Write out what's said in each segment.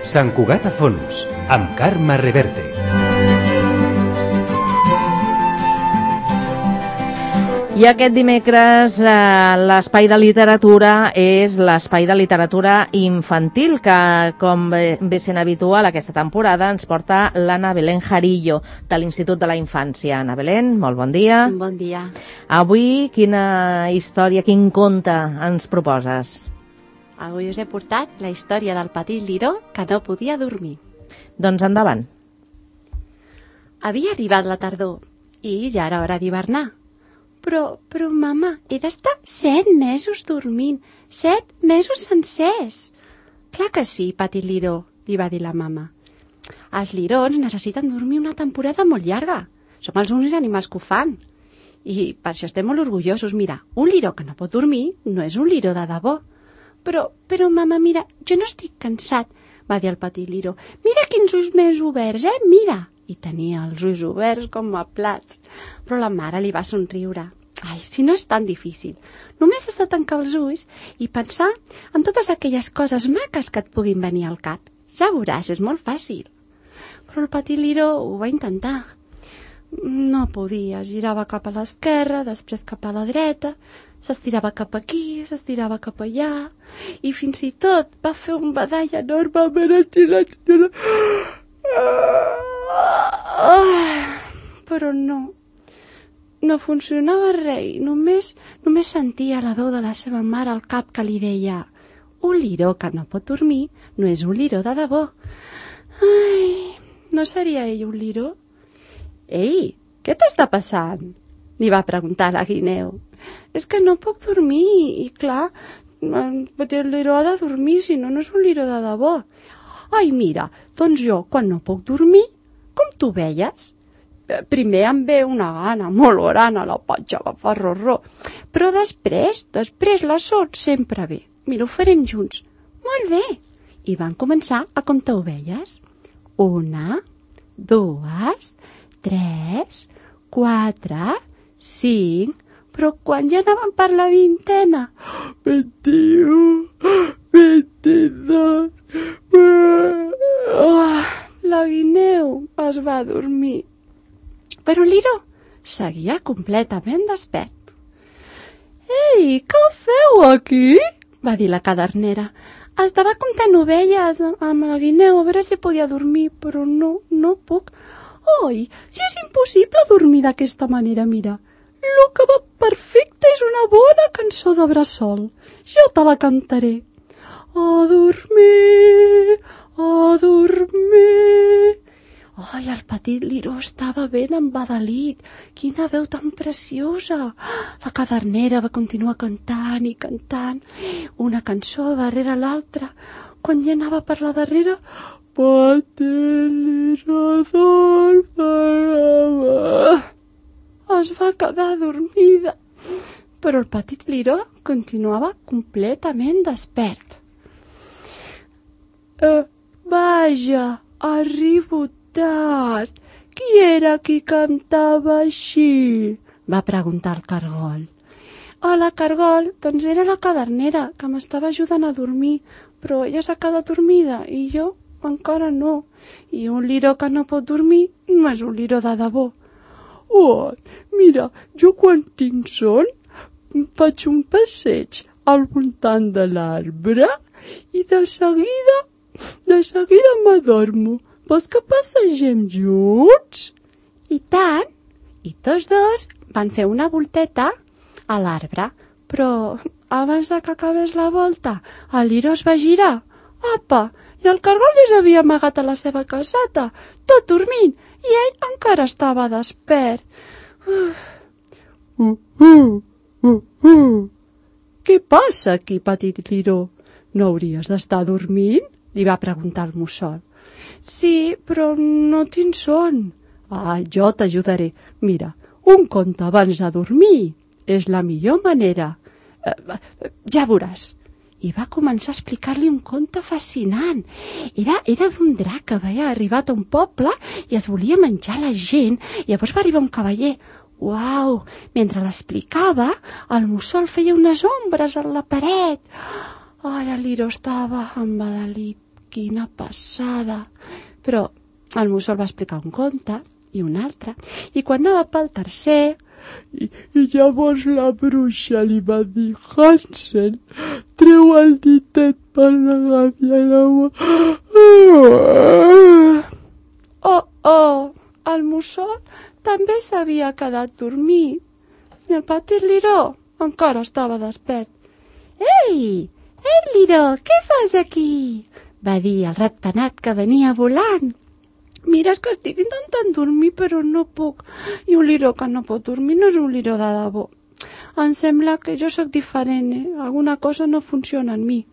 Sant Cugat a Fons, amb Carme Reverte. I aquest dimecres l'espai de literatura és l'espai de literatura infantil que, com ve sent habitual aquesta temporada, ens porta l'Anna Belén Jarillo, de l'Institut de la Infància. Anna Belén, molt bon dia. Bon dia. Avui quina història, quin conte ens proposes? Avui us he portat la història del petit liró que no podia dormir. Doncs endavant. Havia arribat la tardor i ja era hora d'hivernar. Però, mama, he d'estar 7 mesos dormint, 7 mesos sencers. Clar que sí, petit liró, li va dir la mama. Els lirons necessiten dormir una temporada molt llarga. Som els únics animals que ho fan. I per això estem molt orgullosos. Mira, un liró que no pot dormir no és un liró de debò. Però, mama, mira, jo no estic cansat, va dir el petit liró. Mira quins ulls més oberts, mira. I tenia els ulls oberts com a plats. Però la mare li va somriure. Ai, si no és tan difícil. Només has de tancar els ulls i pensar en totes aquelles coses maques que et puguin venir al cap. Ja veuràs, és molt fàcil. Però el petit liró ho va intentar. No podia, girava cap a l'esquerra, després cap a la dreta, s'estirava cap aquí, s'estirava cap allà, i fins i tot va fer un badall enormement estirat. Però no funcionava res, només sentia la veu de la seva mare al cap que li deia: un liró que no pot dormir no és un liró de debò. Ai, no seria ell un liró? Ei, què t'està passant? Li va preguntar la guineu. És que no puc dormir i clar, el liró ha de dormir, si no, no és un liró de debò. Ai, mira, doncs jo, quan no puc dormir, com tu veies? Primer em ve una gana molt gran a la patxa agafar rorró, però després la sort sempre ve. Mira, ho farem junts. Molt bé. I van començar a comptar ovelles. 1, 2, 3, 4, 5... Però quan ja anaven per la 20ena? 21, 22... La guineu es va dormir. Però el liró seguia completament despert. Ei, què feu aquí? Va dir la cadernera. Estava comptant ovelles amb la guineu a veure si podia dormir, però no puc. Oi, si és impossible dormir d'aquesta manera, mira. Lo que va perfecte és una bona cançó de bressol. Jo te la cantaré. A dormir, a dormir. Ai, el petit liró estava ben embadalit. Quina veu tan preciosa. La cadernera va continuar cantant i cantant, una cançó darrere l'altra. Quan ja anava per la darrera, petit liró dorm. Es va quedar dormida, però el petit liró continuava completament despert. Vaja, arribo tard. Qui era qui cantava així? Va preguntar el cargol. Hola, cargol, doncs era la cadernera, que m'estava ajudant a dormir, però ella s'ha quedat dormida i jo encara no. I un liró que no pot dormir no és un liró de debò. Oh, mira, jo quan tinc son faig un passeig al voltant de l'arbre i de seguida m'adormo. Vols que passegem junts? I tant! I tots dos van fer una volteta a l'arbre, però abans de que acabés la volta, el liró es va girar. Apa! I el cargol ja s'havia amagat a la seva caseta, tot dormint, i ell encara estava despert. Què passa aquí, petit liró? No hauries d'estar dormint? Li va preguntar el mussol. Sí, però no tinc son. Ah, jo t'ajudaré. Mira, un conte abans de dormir és la millor manera. Ja veuràs. I va començar a explicar-li un conte fascinant. Era d'un drac que havia arribat a un poble i es volia menjar la gent. Llavors va arribar un cavaller. Uau! Mentre l'explicava, el mussol feia unes ombres a la paret. Ai, el liró estava embadalit. quina passada. Però el mussol va explicar un conte i un altre, i quan anava pel tercer... I llavors la bruixa li va dir: Hansel, treu el ditet per regafiar l'aigua. Oh, el mussol també s'havia quedat dormit. I el petit Liró encara estava despert. Ei, Liró, què fas aquí? Va dir el ratpenat que venia volant. Mira, és que estic intentant dormir, però no puc. I un liró que no pot dormir no és un liró de debò. Em sembla que jo sóc diferent, Alguna cosa no funciona en mi.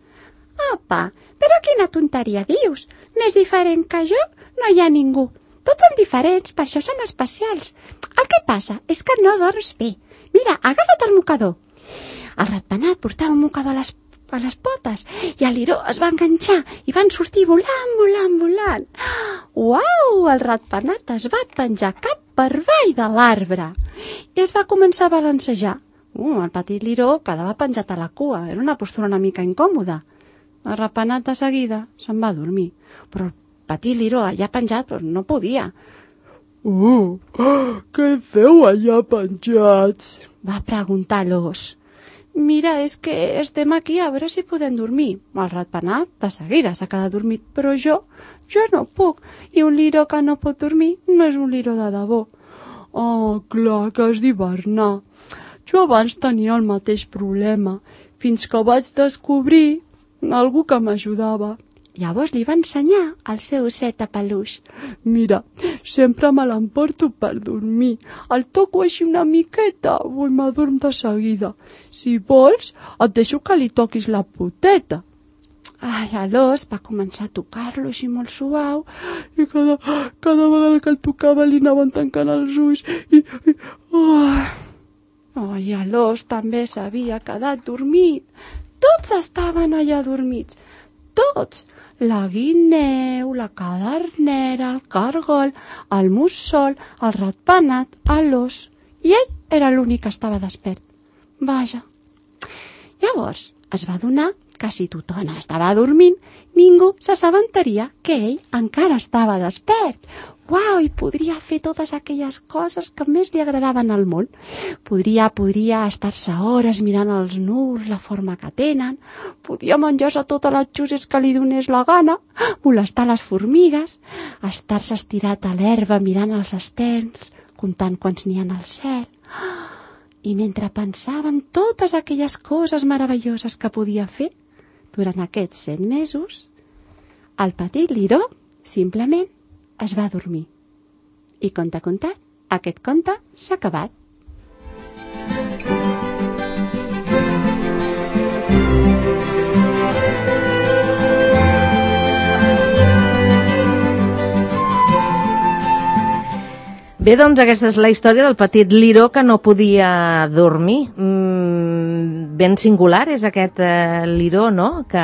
Apa, però quina tonteria dius? Més diferent que jo no hi ha ningú. Tots som diferents, per això som especials. El que passa és que no dorms bé. Mira, agafa't el mocador. El ratpenat portava un mocador a les potes i el liró es va enganxar i van sortir volant. Uau! El ratpenat es va penjar cap per avall de l'arbre i es va començar a balancejar. El petit liró quedava penjat a la cua, era una postura una mica incòmoda. El ratpenat de seguida se'n va dormir, però el petit liró allà penjat no podia. Què feu allà penjats? Va preguntar l'ós. Mira, és que estem aquí a veure si podem dormir. El ratpenat de seguida s'ha quedat dormit, però jo no puc. I un liró que no pot dormir no és un liró de debò. Clar que has d'hivernar. Jo abans tenia el mateix problema, fins que vaig descobrir algú que m'ajudava. Llavors li va ensenyar el seu osset de peluix. Mira, sempre me l'emporto per dormir. El toco així una miqueta i m'adorm de seguida. Si vols, et deixo que li toquis la poteta. L'ós va començar a tocar-lo així molt suau. I cada vegada que el tocava li anaven tancant els ulls. I l'ós també s'havia quedat dormit. Tots estaven allà dormits. Tots. La guineu, la cadernera, el cargol, el mussol, el ratpenat, l'ós. I ell era l'únic que estava despert. Vaja. Llavors es va adonar que si tothom estava dormint, ningú s'assabentaria que ell encara estava despert. Uau, i podria fer totes aquelles coses que més li agradaven al món. Podria estar-se hores mirant els núvols, la forma que tenen, podia menjar-se totes les xuses que li donés la gana, molestar les formigues, estar-se estirat a l'herba mirant els estels, comptant quants n'hi ha al cel. I mentre pensava en totes aquelles coses meravelloses que podia fer, durant aquests 7 mesos, el petit liró simplement es va dormir. I conte contat, aquest conte s'ha acabat. Bé, doncs aquesta és la història del petit liró que no podia dormir. Ben singular és aquest liró, no?, que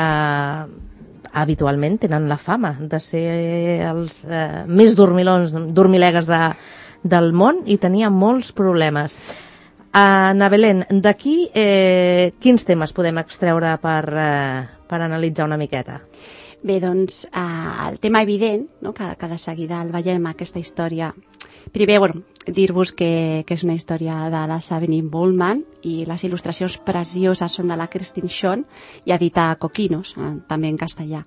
habitualment tenen la fama de ser els més dormilegues del món i tenia molts problemes. Ana Belén, d'aquí quins temes podem extreure per analitzar una miqueta? Bé, doncs, el tema evident, no?, que de seguida el veiem aquesta història. Primer, dir-vos que és una història de la Sabine Bollman i les il·lustracions precioses són de la Christine Schoen i edita Coquinos, també en castellà.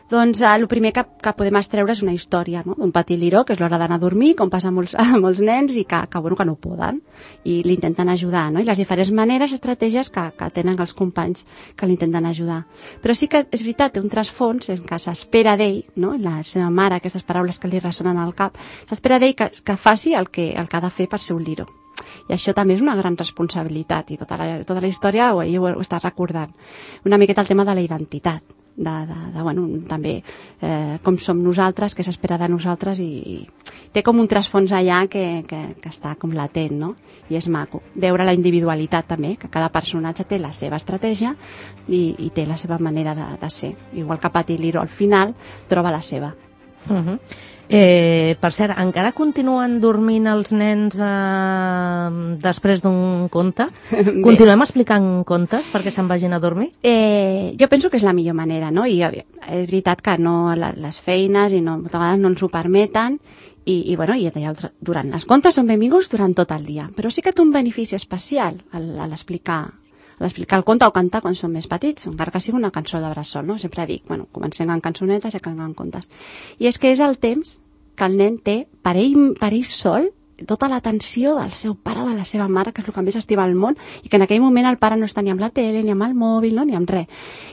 Doncs el primer que podem extreure és una història, no?, d'un petit liró, que és l'hora d'anar a dormir, com passa a molts nens, i que no poden, i l'intenten ajudar, no?, i les diferents maneres, estratègies que tenen els companys que l'intenten ajudar. Però sí que és veritat, té un trasfons en què s'espera d'ell, no?, la seva mare, aquestes paraules que li ressonen al cap, s'espera d'ell que faci el que ha de fer per ser un liró. I això també és una gran responsabilitat, i tota la història ho està recordant. Una miqueta el tema de la identitat, també com som nosaltres, què s'espera de nosaltres, i té com un trasfons allà que està com latent, no? I és maco veure la individualitat també, que cada personatge té la seva estratègia i té la seva manera de ser, igual que Petit Liró al final troba la seva. Per cert, encara continuen dormint els nens després d'un conte? Continuem explicant contes perquè se'n vagin a dormir? Jo penso que és la millor manera, no? I és veritat que no les feines i moltes vegades no ens ho permeten i durant les contes són benvinguts durant tot el dia, però sí que té un benefici especial a l'explicar el conte o cantar quan són més petits, encara que sigui una cançó de bressol, no? Sempre dic, comencem amb cançonetes i acabem amb contes. I és que és el temps que el nen té per ell sol, tota l'atenció del seu pare o de la seva mare, que és el que més estima al món, i que en aquell moment el pare no està ni amb la tele, ni amb el mòbil, no? Ni amb res.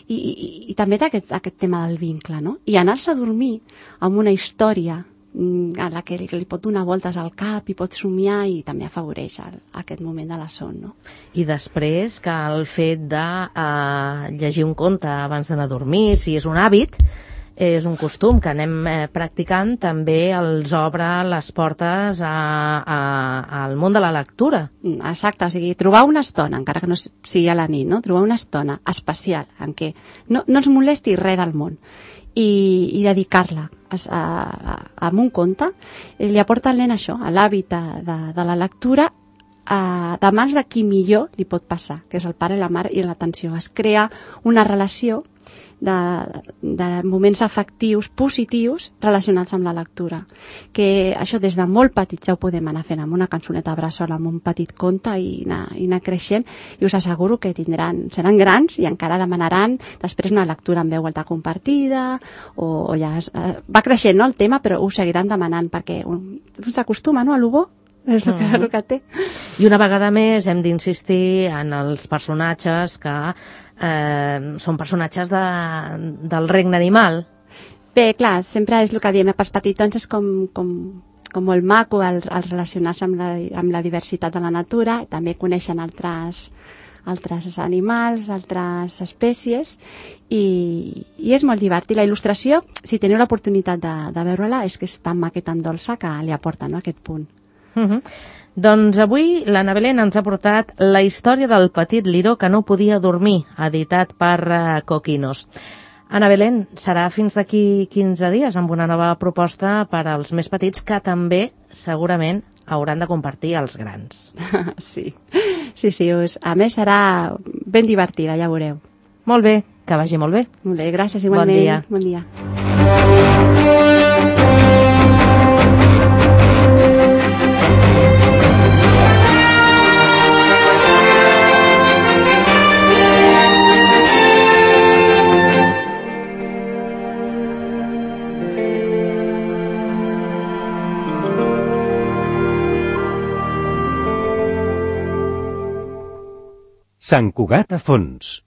I també té aquest tema del vincle, no? I anar-se a dormir amb una història a la que li pot donar voltes al cap i pot somiar i també afavoreix aquest moment de la son, no? I després que el fet de llegir un conte abans d'anar a dormir, si és un hàbit, és un costum que anem practicant, també els obre les portes al món de la lectura. Exacte, o sigui, trobar una estona, encara que no sigui a la nit, no? Trobar una estona especial en què no ens molesti res del món i dedicar-la a un conte, li aporta al nen això, a l'hàbit de la lectura, de mans de qui millor li pot passar, que és el pare i la mare, i l'atenció. Es crea una relació de moments afectius positius relacionats amb la lectura, que això des de molt petits ja ho podem anar fent amb una cançoneta bressol, amb un petit conte i anar creixent, i us asseguro que seran grans i encara demanaran després una lectura en veu alta compartida o ja va creixent, no, el tema, però ho seguiran demanant perquè un s'acostuma, no, a lo bo. És el que té. I una vegada més hem d'insistir en els personatges que són personatges del regne animal. Bé, clar, sempre és el que diem, pels petitons és com molt maco el relacionar-se amb la diversitat de la natura, també coneixen altres animals, altres espècies, i és molt divertit. La il·lustració, si teniu l'oportunitat de veure-la, és que és tan maca i tan dolça que li aporta, no, aquest punt. Doncs avui l'Anna Belén ens ha portat La història del petit liró que no podia dormir, editat per Coquinos. Anna Belén, serà fins d'aquí 15 dies amb una nova proposta per als més petits que també segurament hauran de compartir els grans. Sí, a més serà ben divertida, ja veureu. Molt bé, que vagi molt bé. Molt bé, gràcies igualment. Bon dia. Sant Cugat a fons.